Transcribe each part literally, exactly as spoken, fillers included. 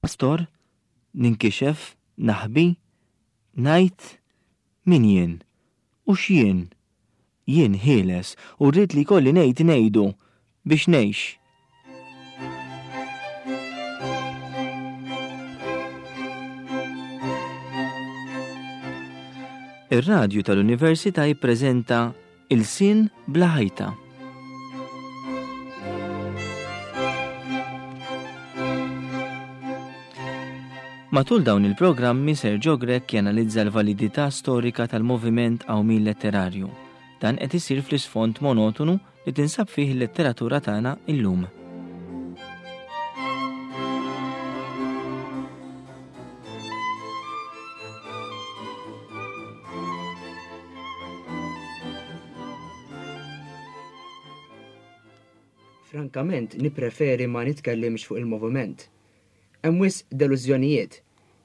Pastor, ninkixef, naħbi, ngħid min jien u x'jien. Jien ħieles u rrid li kolli ngħid ngħidu biex ngħix. Ir-radju tal-Università jippreżenta Ilsien bla ħajta. Matul dawn il-programmi Sergio Grech janalizza l-validità storika tal-moviment qawmien letterarju. Dan qed isir fl-isfond monotonu li tinsab fih il-letteratura tagħna illum. Frankament nippreferi ma nitkellimx fuq il-moviment. Hemm wisq delużjonijiet,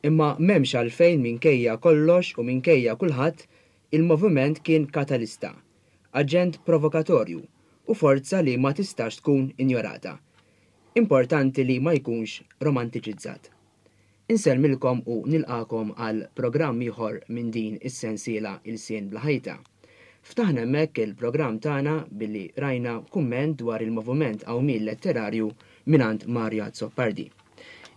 imma m'hemmx għalfejn minkejja kollox u minkejja kulħadd il-moviment kien katalista, aġent provokatorju u forza li ma tistax tkun injorata. Importanti li ma jkunx romantiċizzat. Insellmilkom u nilqakom għal programm ieħor minn din is-sensiela Ilsien bla ħajta. Ftaħna hemmhekk il-programm tagħna billi rajna kumment dwar il-moviment qawmien letterarju mingħand Mario Azzopardi.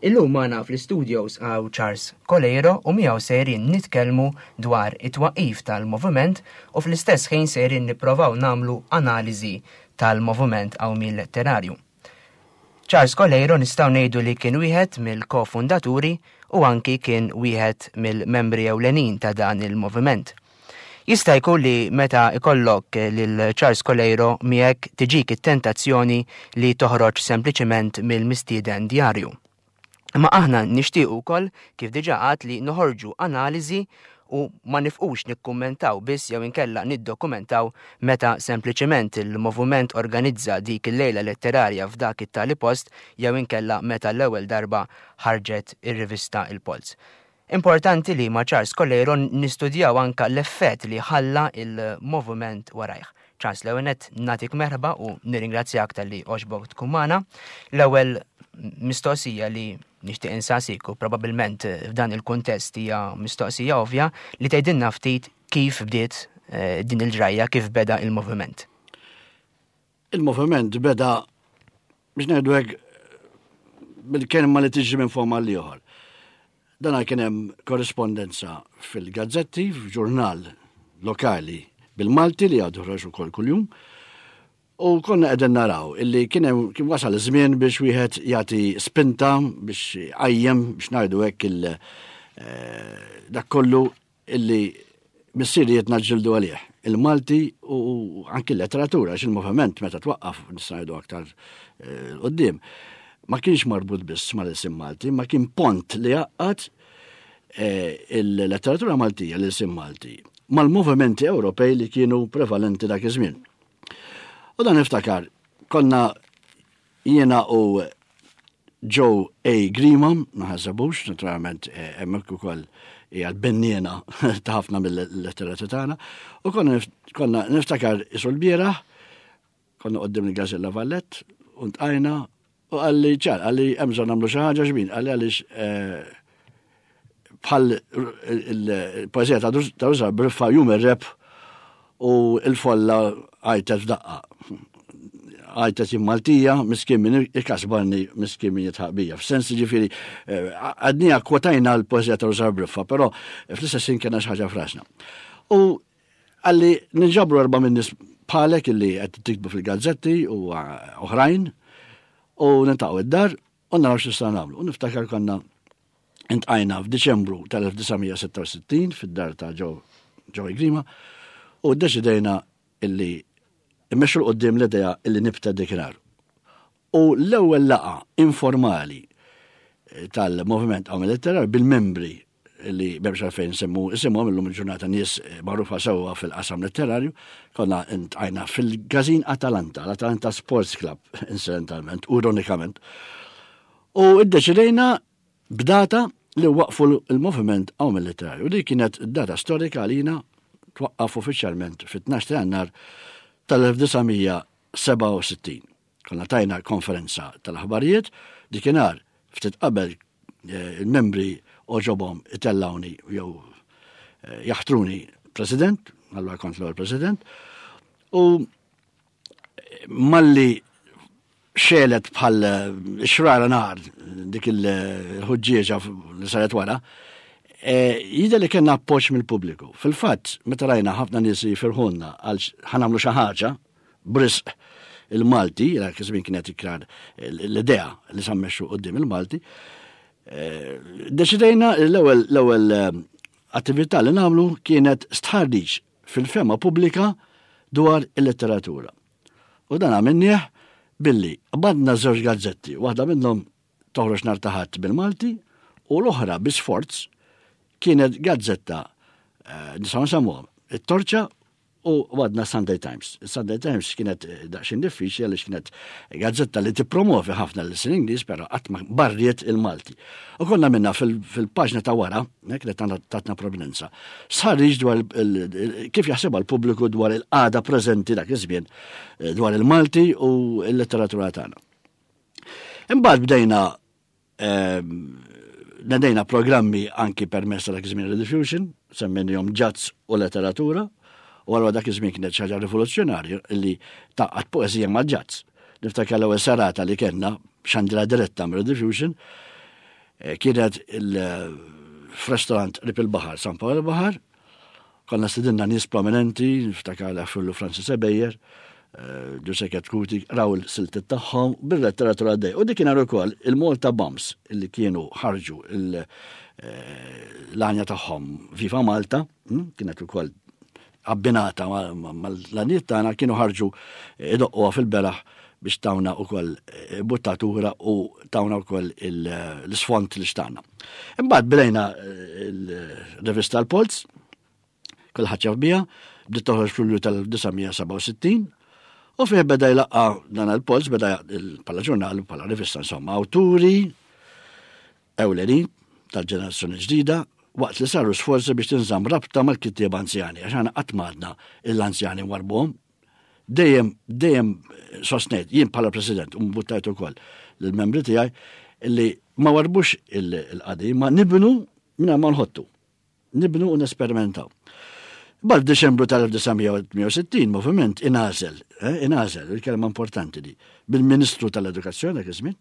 Illum magħna fl-studios għaw Charles Coleiro u miegħu sejrin nitkellmu dwar it-twaqqif tal-moviment u fl-istess ħin sejrin nipprovaw nagħmlu analiżi tal-moviment qawmien letterarju. Charles Coleiro nistgħu ngħidu li kien wieħed mill-kofundaturi u anki kien wieħed mill-membri ewlenin ta' dan il-moviment. Jista' jkun li meta ikollok lil Charles Coleiro miegħek tiġik it-tentazzjoni li toħroġ sempliċement mill-mistieden djarju. Imma aħna nixtiequ wkoll kif diġà għad li noħorġu analiżi u ma nifqux nikkummentaw biss jew inkella niddokumentaw meta sempliċement il-moviment organizza dik il-lejla letterarja f'dak it-tali post jew inkella meta l-ewwel darba ħarġet ir-rivista Il-Polz. Importanti li ma' Charles Coleiro nistudjaw anka l-effett li ħalla il-moviment warajh. Charles, l-ewwel nett nagħtik merħba u nirringrazzjak talli għoġbok tkun magħna. L-ewwel mistoqsija li nixtieq insaqsik u probabbilment f'dan il-kuntest hija mistoqsija ovvja li tgħidilna ftit kif bdiet eh, din il-ġrajja, kif beda il-moviment. Il-moviment beda biex ngħidu hekk bil-kelma li tiġi minn fomm għal ieħor. Dan kien hemm korrispondenza fil-gazzetti, f'ġurnal lokali bil-Malti li għadu ħroġ ukoll kuljum. U konna qegħdin naraw illi kien hemm kien wasal iż-żmien biex wieħed jagħti spinta biex jqajjem biex ngħidu hekk il eh, dak kollu illi missirijiet naġġildu għalih. Il-Malti u anki l-letteratura, għax il-moviment meta twaqqaf nista' ngħidu aktar eh, l-qoddim, ma kienx marbut biss mal-isim Malti, ma kien pont li jgħaqqad eh, il-letteratura Maltija, l-isim Malti, mal-movimenti Ewropej li kienu prevalenti dak iż-żmien. U dan niftakar, konna jiena u Joe A. Grima, ma ħasabux, naturalment eh, hemmhekk ukoll hija l-benniena ta' ħafna mill-letteratura tagħna, u konna nif- konna niftakar isu l-bieraħ, konna qoddim il-Gazella Vallett, u ntqajna, u qalli ċar, qalli hemm bżonn nagħmlu xi ħaġa xbin, qalli għaliex eh, bħal il-poeżija ta' ta' Rużar Briffa jum ir-rap u il-folla għajtet f'daqqa. Għajtet jien Maltija, miskin min ikasbarni, miskin min jitħaq bija. F'sens ġifieri, eh, għadnija kwotajna l-poeżija ta' Rużar Briffa, però fl-istess ħin kena xi ħaġa f'rasna. U qalli ninġabru erba' minn nies bħalek illi qed tiktbu fil-gazzetti u oħrajn u nintaqgħu id-dar u naraw x'nistgħu nagħmlu. U niftakar konna intqajna f'Diċembru tal-elf disa' mija sitta u sittin fid-dar ta' Joe Joey Grima u ddeċidejna illi immexxu 'l quddiem l-idea illi nibta dikinhar. U l-ewwel laqgħa informali tal-moviment Qawmien Letterarju bil-membri li m'hemmx għalfejn nsemmu isimhom illum il-ġurnata nies magħrufa sewwa fil-qasam letterarju, konna ntqajna fil-Gazin Atalanta, l-Atalanta Sports Club, incidentalment, u ironikament. U ddeċidejna b'data li waqfu l-moviment Qawmien Letterarju. Li kienet data storika għalina twaqqaf uffiċjalment fit-tnax ta' Jannar tal-elf disa' mija sebgħa u sittin. Konna tajna konferenza tal-aħbarijiet, dikinhar ftit qabel eh, il-membri għoġobhom itellawni jew eh, jaħtruni president, allura kont l-ewwel president, u malli xegħlet bħal xrara nar dik il-ħuġġieġa li saret wara, eh, jidher li kellna appoġġ mill-pubbliku. Fil-fatt, meta rajna ħafna nies jifirħulna għal ħa nagħmlu xi ħaġa b'risq il-Malti, dak iż-żmien kienet iktar l-idea li sa mmexxu quddiem il-Malti, eh, deċidejna l-ewwel l-ewwel eh, attività li nagħmlu kienet stħarriġ fil-fehma pubblika dwar il-letteratura. U dan għamilnieh billi qbadna żewġ gazzetti, waħda minnhom toħroġ nhar ta' Ħadd bil-Malti u l-oħra bi sforz kienet gazzetta eh, nistgħu nsemmuhom, it-Torċa u għadna Sunday Times. Sunday Times kienet eh, daqsxejn diffiċli għaliex kienet gazzetta li tippromovi ħafna l-ilsien Ingliż, però qatt ma barriet il-Malti. U konna minna fil-paġna ta' wara, eh, kienet tatna prominenza, stħarriġ dwar kif jaħsebha l-pubbliku dwar il-qagħda preżenti dak iż-żmien eh, dwar il-Malti u l-letteratura tagħna. Imbagħad bdejna ehm, nedejna programmi anki permezz dak iż-żmien Rediffusion, semmejnihom Jazz u Letteratura, u għalwa dak iż-żmien kienet xi ħaġa rivoluzzjonarju li tgħaqqad poeżija ma' jazz. Niftakar l-ewwel serata li kellna xandira diretta mir Rediffusion eh, kienet il-restaurant qrib il-baħar, San Pawl il-Baħar, konna stidinna nies prominenti, niftakar Fullu Francis Ebejer, eh, Giuseppe Chetcuti, raw il-siltiet tagħhom bil-letteratura dej. U dik kien ukoll il-Malta Bums illi kienu ħarġu eh, l-għanja tagħhom Viva Malta, hm, kienet ukoll abbinata mal-għanjiet tagħna, kienu ħarġu idoqquha fil-beraħ biex tawna ukoll buttatura u tawna ukoll l-isfond li xtaqna. Imbagħad bdejna il-rivista l-Polz, kulħadd jaf biha, bdiet toħroġ fl-Lulju tal-elf disa' mija sebgħa u sittin, u fih beda jlaqqa dan il-Polz, beda bħala ġurnal, bħala rivista insomma, awturi ewlenin tal-ġenerazzjoni ġdida, waqt li saru sforzi biex tinżamm rabta mal-kittieba anzjani, għax aħna qatt m'għadna l-anzjani warbuhom. Dejjem, dejjem sostnejt, jien bħala president, u mbuttajt ukoll lill-membri tiegħi, li ma warbux il-qadim, ma nibnu minna ma nħottu. Nibnu u nesperimentaw. Bal Deċembru tal-elf disa' mija tmienja u sittin, moviment ingħażel, eh, ingħażel, il-kelma importanti di, bil-Ministru tal-Edukazzjoni dak iż-żmien,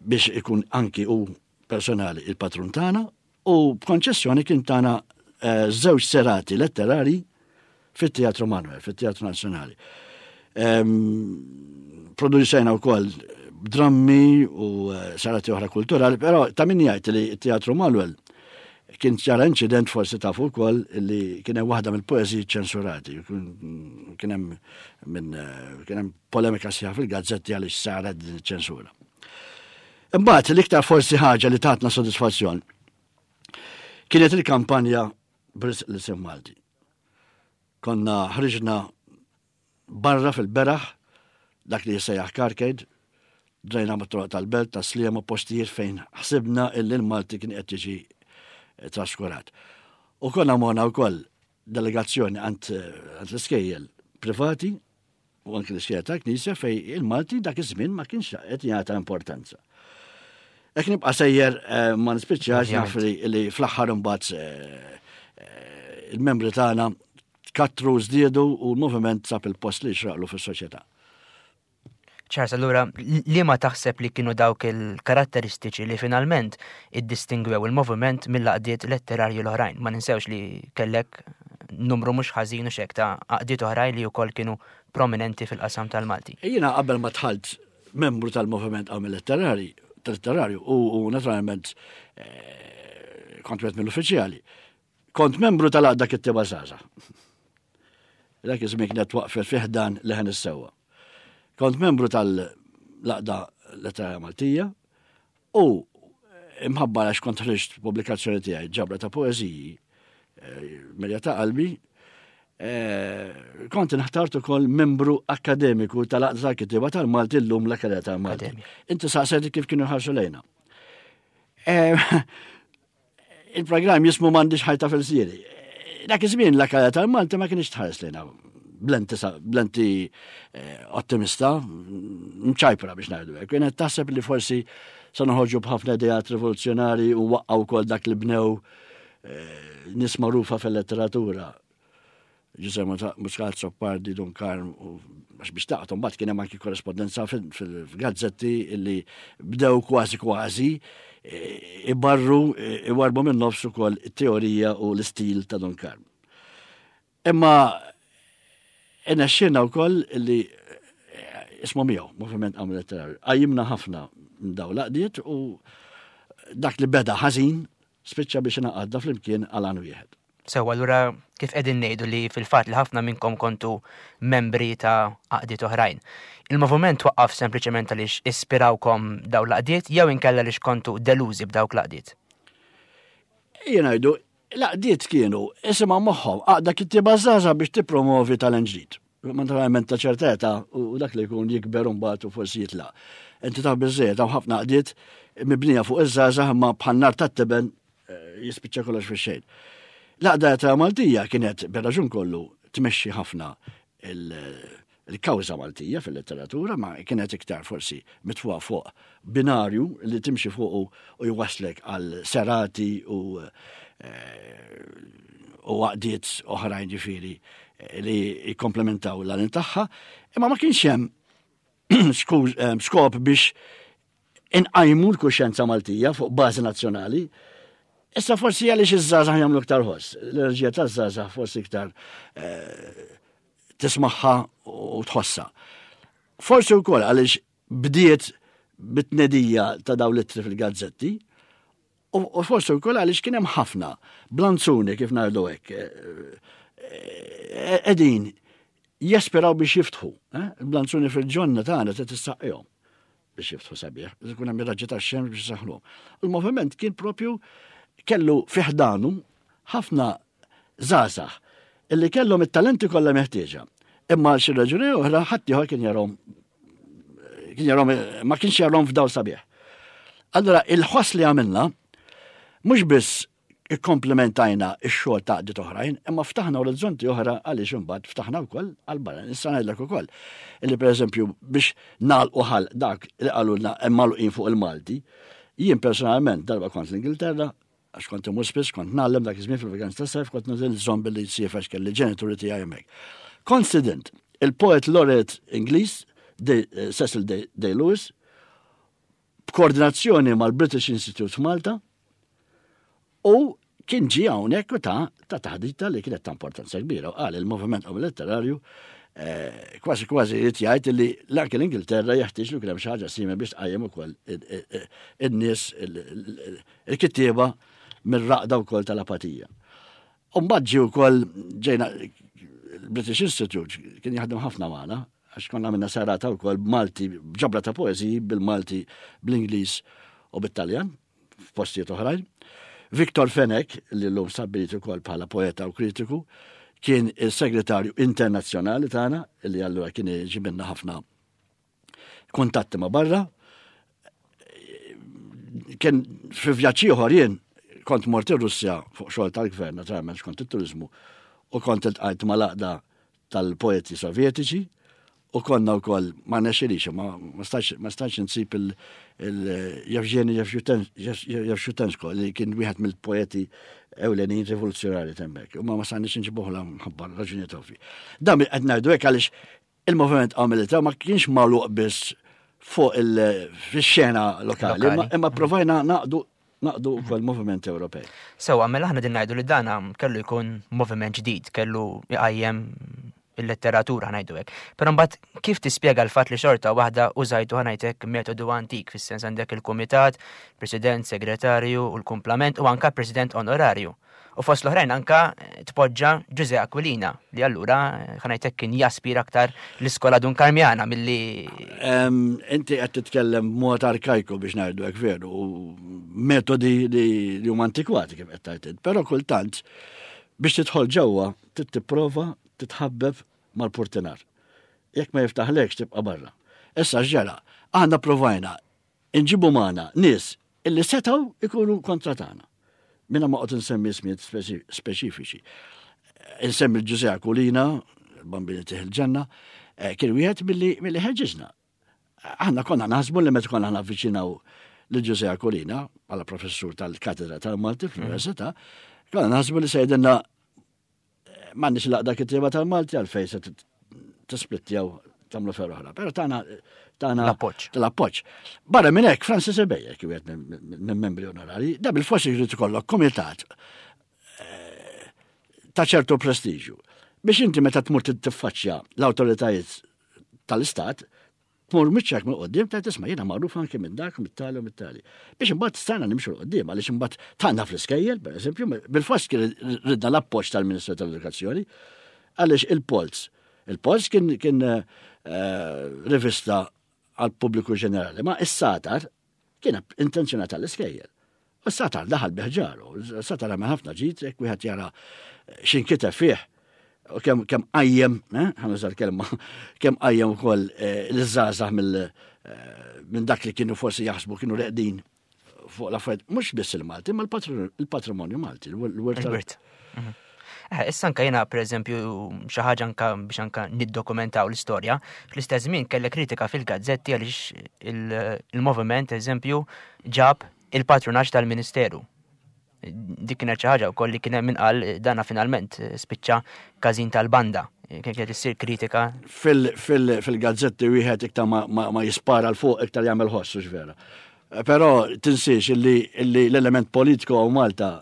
biex ikun anki u personali il-patrun tagħna, u b'konċessjoni kien tana eh, żewġ serati letterari fit-Teatru Manuel, fit-Teatru Nazzjonali. Produċejna wkoll drammi u eh, serati oħra kulturali, però ta' min jgħid li t-Teatru Manuel kien ġara incident, forsi tafu wkoll, li kien hemm waħda mill-poeżiji ċensurati. Kien hemm minn kien hemm polemika sħiħa fil-gazzetti għaliex saret din iċ-ċensura. Imbagħad l-iktar forsi ħaġa li tatna sodisfazzjon kienet il-kampanja b'risq l-ilsien Malti. Konna ħriġna barra fil-beraħ, dak li jissejjaħ carcade, drajna mat-toroq tal-belt, ta' Sliema, postijiet fejn ħsibna illi l-Malti kien qed jiġi traskurat. U konna morna wkoll delegazzjoni għand l-iskejjel privati u anke l-iskejjel ta' knisja fejn il-Malti dak iż-żmien ma kienx qed jingħata importanza. Jekk nibqa' sejjer eh, ma nispiċċax. Naf li fl-aħħar imbagħad eh, eh, il-membri tagħna kattru, żdiedu u l-moviment sab il-post li jixraqlu fis-soċjetà. Charles, allura, li ma taħseb li kienu dawk il-karatteristiċi li finalment iddistingwew il-moviment mill-għaqdiet letterarji l-oħrajn? Ma ninsewx li kellek numru mhux ħażin u xek ta' għaqdiet oħrajn li wkoll kienu prominenti fil-qasam tal-Malti. Jiena qabel ma dħalt membru tal-moviment għamil letterari, letterarju u, u naturalment eh, kont wieħed mill-uffiċjali. Kont membru tal-Għaqda Kittieba Żgħażagħ. Dak iż-żmien kienet waqfet fih dan Leħen is-Sewwa. Kont membru tal-Għaqda Letterarja Maltija u imħabba għax kont ħriġt pubblikazzjoni tiegħi, ġabra ta' poeżiji, eh, Mirja ta' Qalbi, eh, kont inħtart ukoll membru akademiku tal-Għaqda Kittieba tal-Malti, llum l-Akademja tal-Malti. Inti saqsejt kif kienu ħarsu lejna. Eh, il-programm jismu M'għandix Ħajta f'Ilsieni. Dak iż-żmien l-Akademja tal-Malti ma kienx tħares lejna Blenti eh, ottimista, mċajpra biex ngħidu hekk. Kienet taħseb li forsi se noħorġu b'ħafna ideat rivoluzzjonari u waqqgħu wkoll dak li bnew eh, nies magħrufa fil-letteratura. Ġużè Muscat, Azzopardi, Dun Karm, u għax biex taqtom, bat kien hemm anki korrespondenza fil-gazzetti illi bdew kważi kważi eh, ibarru, eh, iwarbu minn nofs ukoll it-teorija u l-istil ta' Dun Karm. Imma irnexxielna wkoll illi eh, ismu miegħu, Moviment Qawmien Letterarju. Qajjimna ħafna minn dawn l-għaqdiet u dak li beda ħażin spiċċa biex ingħaqadna flimkien għal għan wieħed. Sewa, allura kif qegħdin ngħidu li fil-fatt li ħafna minnkom kontu membri ta' għaqdiet oħrajn. Il-moviment twaqqaf sempliċement għaliex ispirawkom dawn l-għaqdiet jew inkella għaliex kontu delużi b'dawk l-għaqdiet? Jien ngħidu, l-għaqdiet kienu isimha moħħhom għaqda kittieba żgħażagħ biex tippromovi talent ġdid. Naturalment ta' ċerta età u dak li jkun jikber mbagħad u forsi jitlaq. Inti taf biżejjed hawn ħafna għaqdiet mibnija fuq iż-żgħażagħ imma bħal nar tat-tiben eh, jispiċċa kollox fix-xejn. L-għaqda ta' Maltija kienet bir-raġun kollu tmexxi ħafna il-kawża Maltija fil-letteratura, ma kienet iktar forsi mitfuqa fuq binarju li timxi fuqu u jwaslek għal serati u eh, u għaqdiet oħrajn ġifieri eh, li jikkomplementaw l-għalin tagħha, imma ma kienx hemm eh, skop biex inqajmu l-kuxjenza Maltija fuq bażi nazzjonali. Issa forsi għaliex iż-żgħażagħ jagħmlu iktar ħoss. L-enerġija taż-żgħażagħ forsi iktar eh, tismagħha u tħossha. Forsi wkoll għaliex bdiet bit-tnedija ta' dawn l-ittri fil-gazzetti, u forsi wkoll għaliex kien hemm ħafna blanzuni kif ngħidu hekk eh, eh, qegħdin jesperaw biex jiftħu. Il-blanzuni fil-ġonna tagħna se tissaqqihom biex jiftħu sabiħ, ikun hemm ir-raġġi tax-xemx biex jisaħħnuhom. Il-moviment kien propju kellu fi ħdanu ħafna żgħażagħ illi kellhom it-talenti kollha meħtieġa. Imma xi raġuni oħra ħadd ieħor kien jarhom kien jarhom ma kienx jarhom f'dawl sabiħ. Allura il-ħoss li għamilna mhux biss ikkomplementajna x-xogħol ta' għaqdiet oħrajn, imma ftaħna orizzonti oħra għaliex imbagħad ftaħna wkoll għal barra. Nista' ngħidlek ukoll illi pereżempju biex nagħlqu ħalq dak li qalulna hemm magħluqin fuq il-Malti, jien personalment darba kont l-Ingilterra, għax kont imur spiss, kont ngħallem dak iż-żmien fil-vakanzi tas-sajf, kont nżil żomm billi nsiefer kelli ġenituri tiegħi hemmhekk. Kont student, il-poet laureate Ingliż, eh, Cecil Day-Lewis, b'koordinazzjoni mal-British Institute f'Malta, u kien ġie hawnhekk u ta' ta' taħdita li kienet ta' importanza kbira u qal il-moviment letterarju eh, kważi kważi jrid jgħid li anke l-Ingilterra jeħtieġ li kien hemm xi ħaġa simili biex tqajjem ukoll in-nies il-kittieba mir-raqda wkoll tal-apatija. U mbagħad ġie wkoll ġejna il-British Institute kien jaħdem ħafna magħna għax konna għamilna serata wkoll b'Malti, b'ġabra ta' poeżiji bil-Malti, bl-Ingliż u bit-Taljan f'postijiet oħrajn. Victor Fenech, li llum stabbilit ukoll bħala poeta u kritiku, kien il-segretarju internazzjonali tagħna, li allura kien iġibilna ħafna kuntatti ma' barra. Kien fi vjaġġ ieħor jien kont mort ir-Russja fuq xogħol tal-gvern, naturalment kont it-turizmu, u kont iltqajt mal-għaqda tal-poeti sovjetiċi, u konna wkoll ma nexxilix, ma ma stajtx insib il-Jevġeni Jevxutensko li kien wieħed mill-poeti ewlenin rivoluzzjonari t'hemmhekk. U ma ma stajniex inġibuh la mħabba raġunijiet ovvi. Dan qed ngħidu hekk għaliex il-moviment Qawmien ma kienx magħluq biss fuq il-xena lokali, imma provajna naqdu naqdu wkoll moviment Ewropej. Sewa, mela aħna din ngħidu li dan kellu jkun moviment ġdid, kellu jqajjem il-letteratura ngħidu hekk. Però mbagħad kif tispjega l-fatt li xorta waħda użajtu ħa ngħid hekk metodu antik fis-sens għandek il-kumitat, president, segretarju u l-kumplament u anka president onorarju. U fost l-oħrajn anka tpoġġa Ġużè Aquilina li allura ħa ngħid hekk kien jaspira aktar l-iskola Dun Karmjana milli Inti qed titkellem b'mod arkajku biex ngħidu hekk veru u metodi li huma antikwati kif qed tgħid. Però kultant biex tidħol ġewwa trid tipprova titħabbeb mal-portinar. Jekk ma jiftaħlekx tibqa' barra. Issa x'ġara, aħna provajna inġibu magħna nies illi setgħu ikunu kontra tagħna. Minna ma qgħod insemmi ismijiet speċifiċi. Insemmi l-Ġużè Aquilina, Bambini tih il-ġenna, eh, kien wieħed milli ħeġġiġna. Aħna konna naħsbu li meta konna navviċinaw lil Ġużè Aquilina, bħala professur tal-katedra tal-Malti fl-Università, konna naħsbu li se jgħidilna eh, m'għandniex l-Għaqda Kittieba tal-Malti, għalfejn se tisplittjaw, tagħmlu fergħa oħra. Però tana tana l-appoġġ. L-appoġġ. Barra minn hekk, Francis Ebejer, kien wieħed minn membri onorari, da bil-forsi jrid ikollok komitat eh, ta' ċertu prestiġju. Biex inti meta tmur tiffaċċja l-awtoritajiet tal-istat, tmur miċċak minn qoddim ta' tisma', jiena magħruf anke minn dak, mit-tali u mit-tali. Biex imbagħad stajna nimxu 'l quddiem, għaliex imbagħad tagħna fl-iskejjel, pereżempju, bil-fors kien ridna l-appoġġ tal-Ministru tal-Edukazzjoni, għaliex il-Polz. Il-Polz kien kien eh, rivista għal pubbliku ġenerali, ma is-Sagħtar kien intenzjonat għall-iskejjel. U s-Sagħtar daħal bi ħġaru, s-Sagħtar għamel ħafna ġid, jekk wieħed jara x'inkiteb fih, u kemm kemm qajjem, eh, ħa nuża l-kelma, kemm qajjem ukoll eh, l-żgħażagħ mill eh, minn dak li kienu forsi jaħsbu kienu reqdin fuq l-affarijiet, mhux biss il-Malti, ma l-patrimonju Malti, l-wirt. Il-wirt. Mhm. Eh, issa anka jiena, pereżempju, xi ħaġa anka biex anka niddokumentaw l-istorja, fl-istess żmien kellek kritika fil-gazzetti għaliex il-moviment, eżempju, ġab il-patronaġġ tal-Ministeru. Dik kienet xi ħaġa wkoll li kien hemm min qal dana finalment spiċċa każin tal-banda. Kien kienet issir kritika. Fil-gazzetti wieħed iktar ma jispara 'l fuq iktar jagħmel ħoss, vera. Però tinsiex illi l-element politiku hawn Malta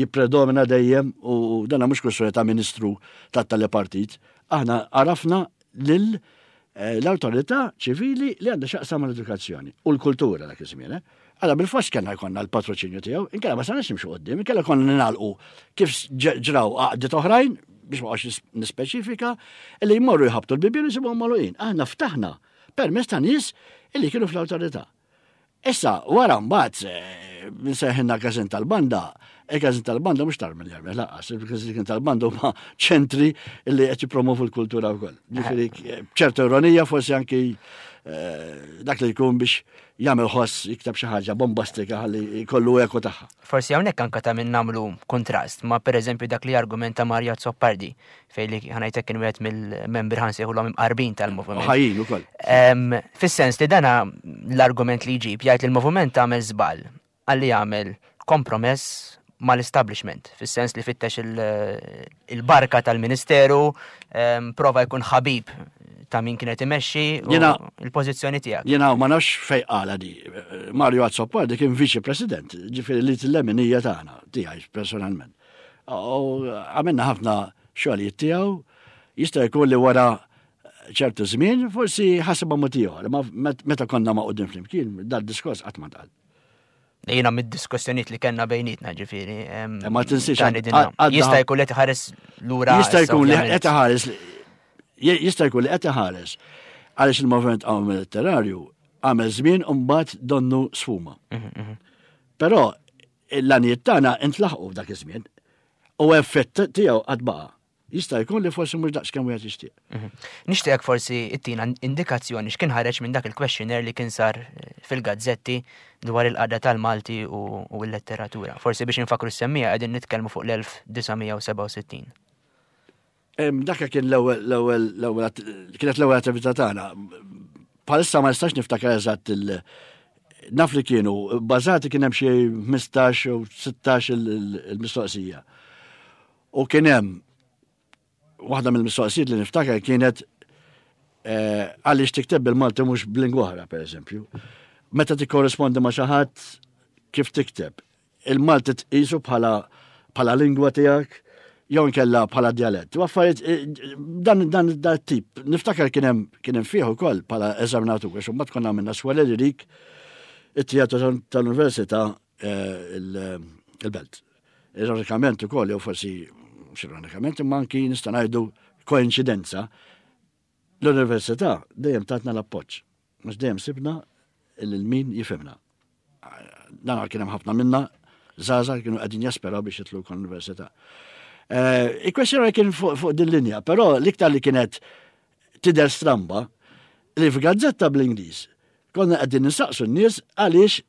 jippredomina dejjem, u dana mhux kwestjoni ta' ministru ta' tal-partit. Aħna għarafna lil eh, l-awtorità ċivili li għandha x'taqsam mal-edukazzjoni u l-kultura dak iż-żmien. Eh? Għala bil-fors kellna jkollna l-patroċinju tiegħu, inkella ma stajniex nimxu quddiem, inkella konna ningħalqu kif ġraw għaqdiet oħrajn, biex ma nispeċifika, li jmorru jħabtu l-bibien jisibuhom magħluqin. Aħna ftaħna permezz ta' nies illi kienu fl-awtorità. Issa, wara mbagħad eh, minn seħinna każin tal-banda, il-każin tal-banda mhux tarmel jarmel lanqas, il-każin tal-banda huma ċentri li qed jippromovu l-kultura wkoll. Ġifieri ċerta ironija, forsi anki eh, dak li jkun biex jagħmel ħoss jikteb xi ħaġa bombastika ħalli jkollu eku tagħha. Forsi hawnhekk anka ta' min nagħmlu kontrast ma' pereżempju dak li argumenta Mario Azzopardi, fejn li ħa ngħidlek kien wieħed mill-membri, ħa nsejħulhom, imqarbin tal-moviment. Ħajjin ukoll. Fis-sens li dana l-argument li jġib, jgħid li l-moviment għamel żball għalli għamel kompromess mal-establishment, fis-sens li fittex il-barka tal-ministeru, prova jkun ħabib ta' min kienet imexxi u Jena- il-pożizzjoni tiegħek. Jena ma nafx fej qala di. Mario Azzopardi kien viċi president, ġifieri li t-leminija tagħna, tiegħi personalment. U għamilna ħafna xogħlijiet tiegħu, jista' jkun li wara ċertu żmien forsi ħasibha mod ieħor, ma meta konna magħqudin flimkien, dal-diskors qatt ma tqal. Jiena mid-diskussjonijiet li kellna bejnietna, ġifieri. Eh, ma tinsiex dan għad- idinna. għadda- Jista' jkun li tħares lura. Jista' issa, jkun li ovvjament. qed iħares jista' jkun li qed iħares għaliex il-moviment għamel letterarju għamel żmien u mbagħad donnu sfuma. Mhm, mhm. Però l-għanijiet tagħna intlaħqu f'dak iż-żmien u effett tiegħu għad baqa'. Jista' jkun li forsi mhux daqs kemm wieħed jixtieq. Mhm. Nixtieq forsi ittina indikazzjoni x'kien ħareġ minn dak il-questionnaire li kien sar eh, fil-gazzetti dwar il-qagħda tal-Malti u u l-letteratura. Forsi biex infakru s-semmiegħa, qegħdin nitkellmu fuq l-elf disa' mija u sebgħa u sittin. Em, Dak kien l-ewwel l-ewwel l-ewwel att- kienet l-ewwel attività tagħna. Bħalissa ma nistax niftakar eżatt il- naf li kienu bażati kien hemm xi ħmistax u sittax il- il-mistoqsija. U kien hemm waħda mill-mistoqsijiet li niftakar kienet eh, għaliex tikteb bil-Malti mhux b'lingwa oħra, pereżempju. Meta tikkorrispondi ma' xi ħadd, kif tikteb? Il-Malti tqisu bħala bħala lingwa tiegħek jew inkella bħala djalett? U affarijiet eh, dan dan dan tip. Niftakar kien hemm kien hemm fih ukoll bħala eżaminatur, għax imbagħad konna għamilna soirée lyrique it-teatru tal-Università eh, il- il-Belt. Ironikament ukoll, jew forsi mhux ironikament, imma anki nista' ngħidu koinċidenza, l-Università dejjem tatna l-appoġġ. Mhux dejjem sibna lil min jifhimna. Dan kien hemm ħafna minna żgħażagħ kienu qegħdin jasperaw biex jidħlu l-università. Eh, Il-kwestjoni kien fuq fuq din linja, però l-iktar li kienet tidher stramba li f'gazzetta bl-Ingliż konna qegħdin nistaqsu n-nies għaliex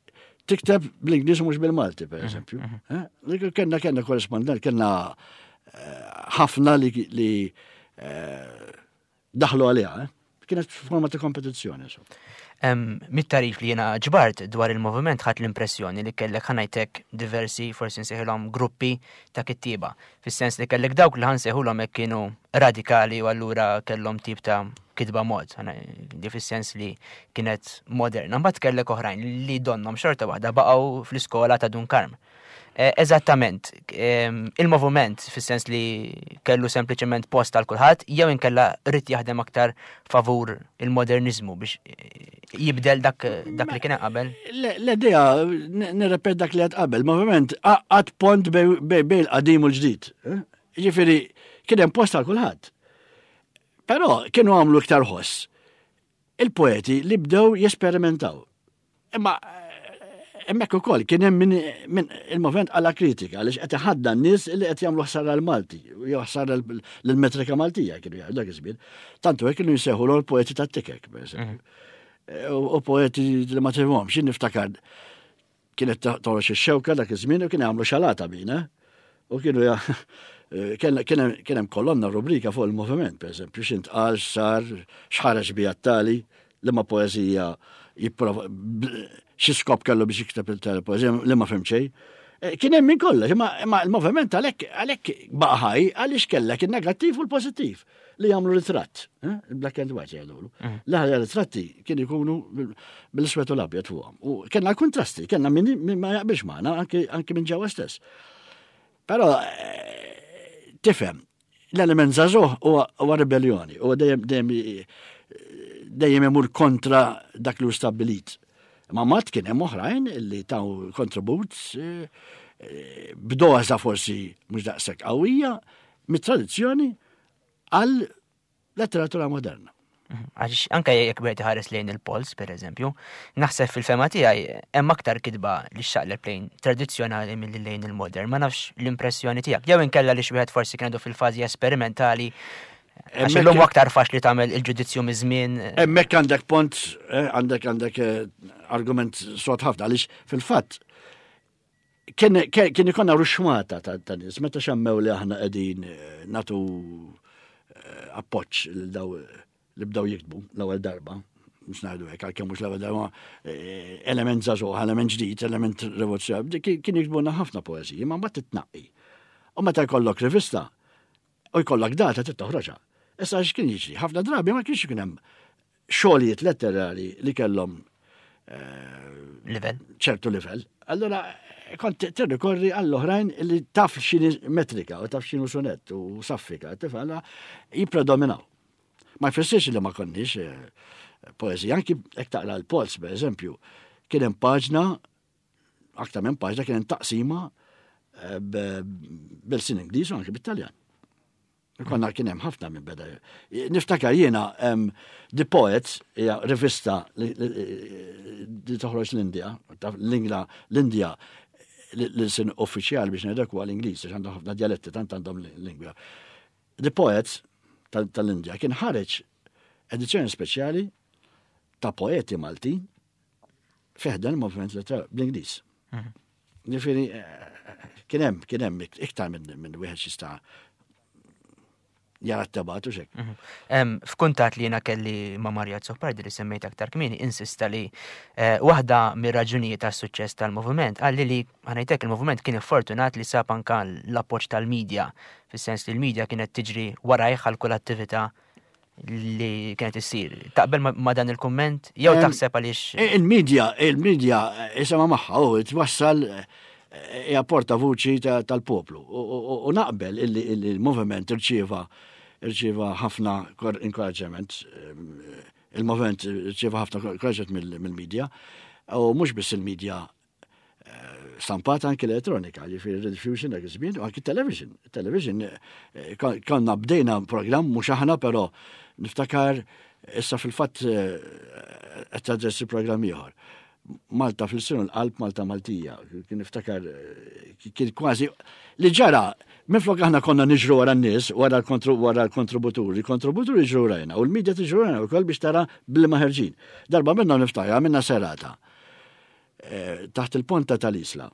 tikteb bl-Ingliż u mhux bil-Malti, per eżempju. Eh? Kellna kellna korrespondent, kellna eh, ħafna li, li eh, daħlu għaliha. Eh? Kienet forma ta' kompetizzjoni. Mit-tagħrif li jena ġbart dwar il-moviment ħadt l-impressjoni li kellek, ħa ngħidlek, diversi, forsi nsejħilhom gruppi ta' kittieba. Fis-sens li kellek dawk li ħa nsejħulhom hekk kienu radikali u allura kellhom tip ta' kitba mod, li fis-sens li kienet moderna. Mbagħad kellek oħrajn li donnhom xorta waħda baqgħu fl-iskola ta' Dun Karm. Eh, eżattament, il-moviment fis-sens li kellu sempliċement post għal kulħadd jew inkella ried jaħdem aktar favur il-modernizmu biex eh, jibdel dak, dak li kien qabel? L-idea, nirrepet dak li għedt qabel, moviment għad pont bejn il-qadim u l-ġdid. Eh? Ġifieri, kien hemm post għal kulħadd. Però kienu għamlu iktar ħoss il-poeti li bdew jesperimentaw. Imma hemmhekk ukoll kien hemm min il-moviment għala kritika għaliex qed iħaddan nies li qed jagħmlu ħsara l-Malti, jew ħsara l-metrika Maltija kienu jgħidu dak iż-żmien. Tantu hekk kienu jsejħu l poeti tat-tikek, pereżempju. Mhm. U poeti li ma tifhomx, jien niftakar kienet toħroġ ix-Xewka dak iż-żmien u kien jagħmlu xalata bina. U kienu kien hemm kolonna rubrika fuq il-moviment, pereżempju, x'intqal, x'sar, x'ħareġ bija tali, li ma poeżija jipprova xi skop kellu biex jikteb il-poeżija li ma fhem xejn. Eh, kien hemm minn kollox, imma il-moviment għalhekk għalhekk baqa' ħaj għaliex kellek in-negattiv u l-pożittiv li jagħmlu ritratt, eh, il-black and white jgħidulu. Mm. L-aħjar ritratti kien ikunu bil-iswed u l-abjad fuqhom. U kellna kontrasti, kellna min ma jaqbilx magħna anki minn ġewwa stess. Però eh, tifhem, l-element żagħżugħ huwa ribellioni, huwa dejjem dejjem dejjem imur kontra dak li hu stabbilit. Ma mat kien hemm oħrajn li taw kontribut eh, eh, b'doża forsi mhux daqshekk qawwija mit-tradizzjoni għal letteratura moderna. Mhm. Għax anke jekk wieħed iħares lejn il-Polz, per eżempju, naħseb fil-fehma tiegħi hemm aktar kitba li xaqleb lejn tradizzjonali milli lejn il-modern. Ma nafx l-impressjoni tiegħek. Jew inkella li wieħed forsi kien għadu fil-fażi esperimentali. Għax illum aktar faċli tagħmel il-ġudizzju miż-żmien. Hemmhekk għandek pont, eh, għandek għandek eh, argument sod ħafna għaliex fil-fatt kien kien ikollna ruxmata ta' nies meta xammew li aħna qegħdin eh, natu appoġġ lil daw li bdew jiktbu l-ewwel darba, mhux ngħidu hekk għalkemm mhux l-ewwel darba, element żagħżugħ, element ġdid, element rivoluzzjonarju, kien jiktbulna ħafna poeżiji, ma mbagħad titnaqqi. U meta jkollok rivista, u jkollok data trid toħroġha. Issa x'kien jiġri? Ħafna drabi ma kienx ikun hemm xogħlijiet letterari li kellhom livell. ċertu livell. Allora kont tirrikorri għall-oħrajn li taf x'inhi metrika u taf x'inhu sonett u saffika, tifhem, allora jippredominaw. Ma jfissirx li ma konniex eh, poezija, anki jekk taqra l-Polz, per eżempju, kien hemm paġna, aktar minn paġna kien hemm taqsima eh, bil-sin Ingliż u anki bit-Taljan. Konna kien hemm ħafna minn beda. Niftakar jiena The Poets hija rivista li toħroġ l-Indja, l-Ingla l-Indja l-sin uffiċjali biex ngħidlek huwa l-Ingliż, għax għandhom ħafna dialetti tant għandhom lingwa. The Poets tal-Indja kien ħareġ edizzjoni speċjali ta' poeti Maltin fi ħdan il-moviment letterarju bl-Ingliż. Mhm. Ġifieri eh, kien hemm kien hemm iktar minn wieħed jista' jara t-tabat u xek. Mhm. F'kuntat li jena kelli ma' Mario Azzopardi li semmejt aktar kmieni, insista li eh, waħda mir-raġunijiet tas-suċċess tal-moviment qalli li, ħa ngħidlek, il-moviment kien fortunat li sab anka l-appoġġ tal-medja, fis-sens li l-medja kienet tiġri warajh għal kull attività li kienet issir. Taqbel ma' dan il-komment? Jew taħseb għaliex? Eh, il-medja, il-medja isema magħha u twassal eh, hija portavuċi tal-poplu. U naqbel illi il-moviment irċieva irċieva ħafna inkoraġġament, il-moviment irċieva ħafna inkoraġġament mill-medja, u mhux biss il-medja eh, stampata, anki elettronika, ġifieri Rediffusion dak iż-żmien, u anki television. Television eh, konna bdejna programm, mhux aħna, però niftakar issa fil-fatt eh, qed tadressi programm ieħor. Malta fl-sinu l-qalb Malta Maltija. Kien niftakar kien kważi li ġara minflok aħna konna niġru wara n-nies, wara l-kontributuri, kontributuri jiġru warajna u l-medja tiġru warajna wkoll biex tara billi ma ħerġin. Darba minnhom niftakar għamilna serata eh, taħt il-ponta tal-Isla.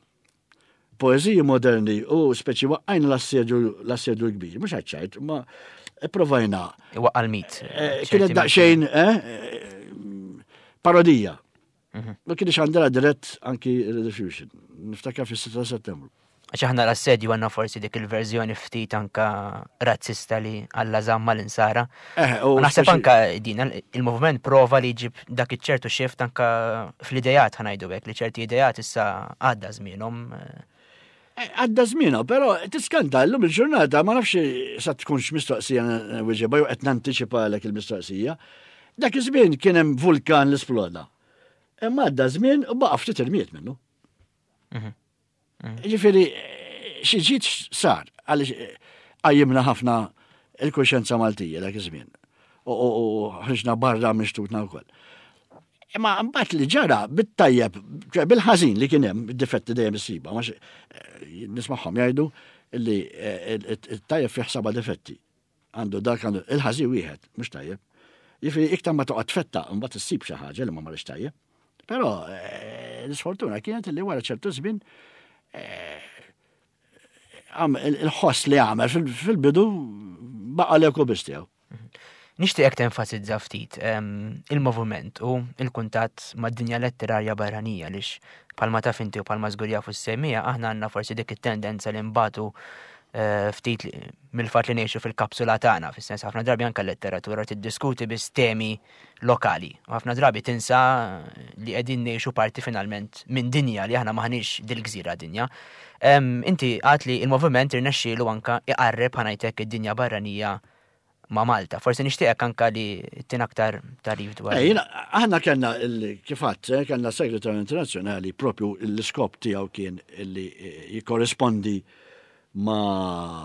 Poeżiji moderni u speċi waqqajna l-assedju l-kbir, mhux għaċċajt, ma Ipprovajna. Waqqa l-mit. Eh, kienet daqsxejn eh, parodija. Mhm. Ma kienx għandha dirett anki Rediffusion. Niftakar fis-sitta ta' Settembru. Għax aħna l-assedju għandna forsi dik il-verżjoni ftit anka razzista li Alla żamma l-insara. Eh, u Naħseb speċi- anka din il-movement prova li jġib dak iċ-ċertu shift anka fl-idejat, ħa ngħidu hekk, li ċerti idejat issa għadda żmienhom. Eh, Għadda żmienha, però tiskanta llum il-ġurnata, ma nafx sa tkunx mistoqsija weġiba jew qed nantiċipalek il-mistoqsija. Dak iż-żmien kien hemm vulkan li sploda. Imma għadda żmien u baqa' ftit irmied minnu. Mhm. Ġifieri xi ġid sar għaliex qajjimna ħafna il-kuxjenza Maltija dak iż-żmien. U u ħriġna barra minn xtutna wkoll. Imma mbagħad li ġara bit-tajjeb, ċe bil-ħażin li kien hemm, id-difetti dejjem issiba, ma nismagħhom jgħidu li it-tajjeb fih seba' difetti. Għandu dak għandu il-ħażin wieħed, mhux tajjeb. Jiġifieri iktar ma toqgħod tfetta mbagħad issib xi ħaġa li ma marrix tajjeb. Però eh, l-isfortuna kienet li wara ċertu żmien eh, il-ħoss li għamel fil-bidu baqa l-eku biss tiegħu. Nixtieqek tenfasizza ftit il-moviment u il-kuntatt mad-dinja letterarja barranija lix palma taf inti u palma żgur jafu s-semmiegħa, aħna għandna forsi dik it-tendenza li nbatu eh, ftit mill-fatt li ngħixu fil-kapsula tagħna, fis-sens ħafna drabi anke l-letteratura tiddiskuti biss temi lokali. U ħafna drabi tinsa li qegħdin ngħixu parti finalment minn dinja li aħna maħniex dil-gżira dinja. Inti għat li il-moviment irnexxielu anka iqarreb, ħa ngħidlek, id-dinja barranija ma' Malta. Forsi nixtieqek anka li ttina aktar tagħrif dwar. Eh, aħna kellna kif għedt, eh, kellna segretarju internazzjonali, propju l-iskop tiegħu kien li eh, jikorrespondi ma'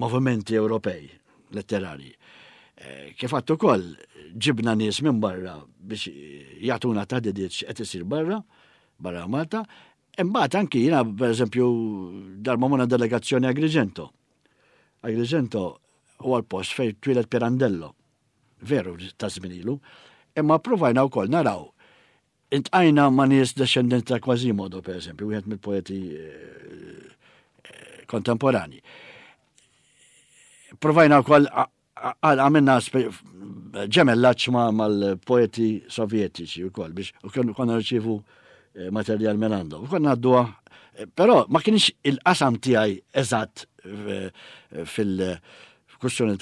movimenti Ewropej letterari. Kif għedt ukoll ġibna nies minn barra biex jagħtuna taħdidiet x'qed isir barra, barra Malta. Imbagħad anki jiena, pereżempju, darba morna delegazzjoni Agrigento. Agrigento huwa l-post fejn twieled Pirandello. Veru ta' żmien ilu. Imma provajna wkoll naraw. Iltqajna ma' nies descendenti ta' Quasimodo, per eżempju, wieħed mill-poeti eh, eh, kontemporani. Provajna wkoll għamilna ġemellaġġ mal-poeti sovjetiċi wkoll biex u konna rċivu eh, materjal minn għandhom. Konna għadduha, però ma kienx il-qasam tiegħi eżatt fil- kwestjoni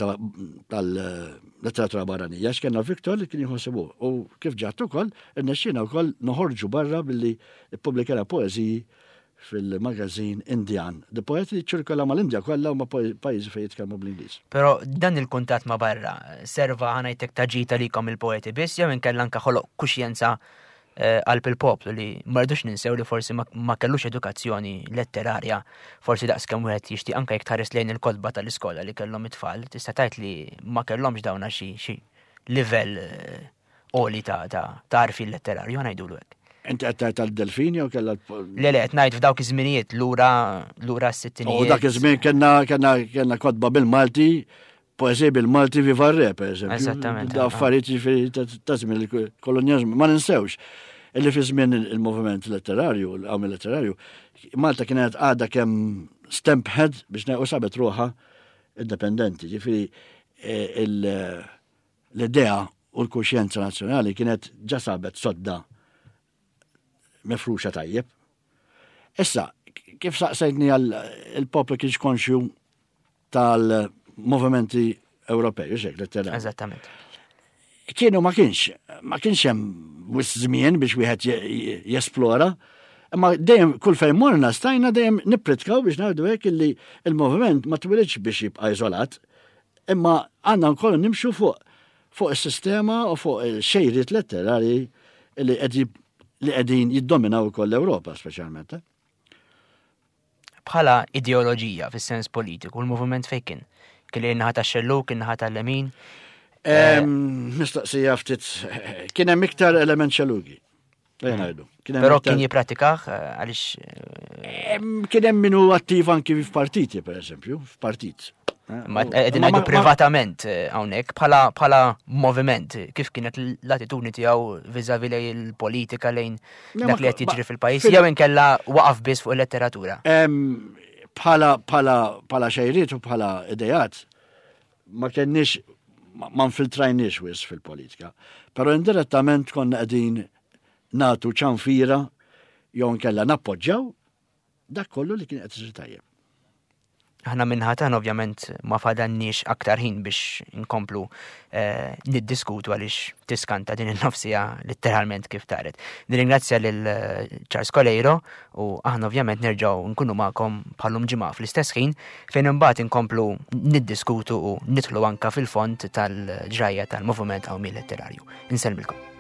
tal-letteratura barranija, x'kellna Viktor li kien jħossibu. U kif għedt ukoll, irnexxielna wkoll noħorġu barra billi ippubblikajna poeżiji fil-magazin Indian. The Poet li ċirkola mal-Indja kollha u ma' pajjiżi fejn jitkellmu bl-Ingliż. Però dan il-kuntatt ma' barra serva, ħa ngħidlek, ta' ġid għalikom il-poeti biss jew inkella anka ħoloq kuxjenza eh, qalb il-poplu li ma rridux ninsew li forsi ma ma kellux edukazzjoni letterarja forsi daqs kemm wieħed jixtieq, anke jekk tħares lejn il-kotba tal-iskola li kellhom it-tfal, tista' tgħid li ma kellhomx dawna xi xi livell eh, għoli ta' ta' ta' għarfien letterarju, ħa ngħidulu hekk. Inti qed tgħid tal-Delfin jew kellha Le, le, qed ngħid f'dawk iż-żminijiet lura lura s-sittinijiet. U dak iż-żmien kellna kellna kellna kotba bil-Malti, poeżija bil-Malti, Viva Re, per eżempju. Eżattament, Da ah. affarijiet ġifieri ta' ta' żmien il-kolonjalizmu. Ma ninsewx illi fi żmien il-moviment letterarju, l-għamil letterarju, Malta kienet għadha kemm stempħed biex ngħidu sabet ruħha indipendenti. Ġifieri eh, il- l-idea u l-kuxjenza nazzjonali kienet ġa sabet sodda mifruxa tajjeb. Issa, kif saqsejtni għal il-poplu kienx konxju tal-movimenti Ewropej, xek, letterali. Eżattament. Kienu ma kienx, ma kienx hemm wisq żmien biex wieħed je- je- jesplora, imma dejjem kull fejn morna stajna dejjem nippritkaw biex ngħidu hekk illi il-moviment ma twilidx biex jibqa' iżolat, imma għandna nkollu nimxu fuq fuq is-sistema u fuq il-xejriet letterari li qegħdin li qegħdin jiddominaw ukoll l-Ewropa speċjalment. eh. Bħala ideoloġija fis-sens politiku, il-moviment fejn kien? Kien li naħa tax-xellug, kien naħa tal-lemin? Em, Mistoqsija ftit, kien hemm iktar element xellugi. Ejja ngħidu. Kien hemm Però iktar- kien jipprattikah eh, għaliex eh, Em, Kien hemm min hu attiv anki f'partiti, per eżempju, f'partit. Ma qegħdin Ma- ngħidu ma- privatament eh, hawnhekk bħala bħala moviment, kif kienet l-attitudni tiegħu vis-à-vis lejn il-politika, lejn Le, dak ma- li qed jiġri ma- fil-pajjiż fil- jew inkella waqaf biss fuq il-letteratura? Em, Bħala bħala bħala xejriet u bħala idejat Ma kenniex, ma nfiltrajniex wisq fil-politika, però indirettament konna qegħdin nagħtu ċanfira jew nkella nappoġġjaw dak kollu li kien qed isir tajjeb. Aħna min-naħa tagħna ovvjament ma fadalniex aktar ħin biex inkomplu eh, niddiskutu għaliex tiskanta din in-nofs siegħa letteralment kif taret. Nirringrazzja lil eh, Charles Coleiro u aħna ovvjament nerġgħu nkunu magħkom bħal-lum ġimgħa fl-istess ħin fejn imbagħad inkomplu niddiskutu u nidħlu anka fil-fond tal-ġrajja tal-moviment Qawmien Letterarju. Insellmilkom.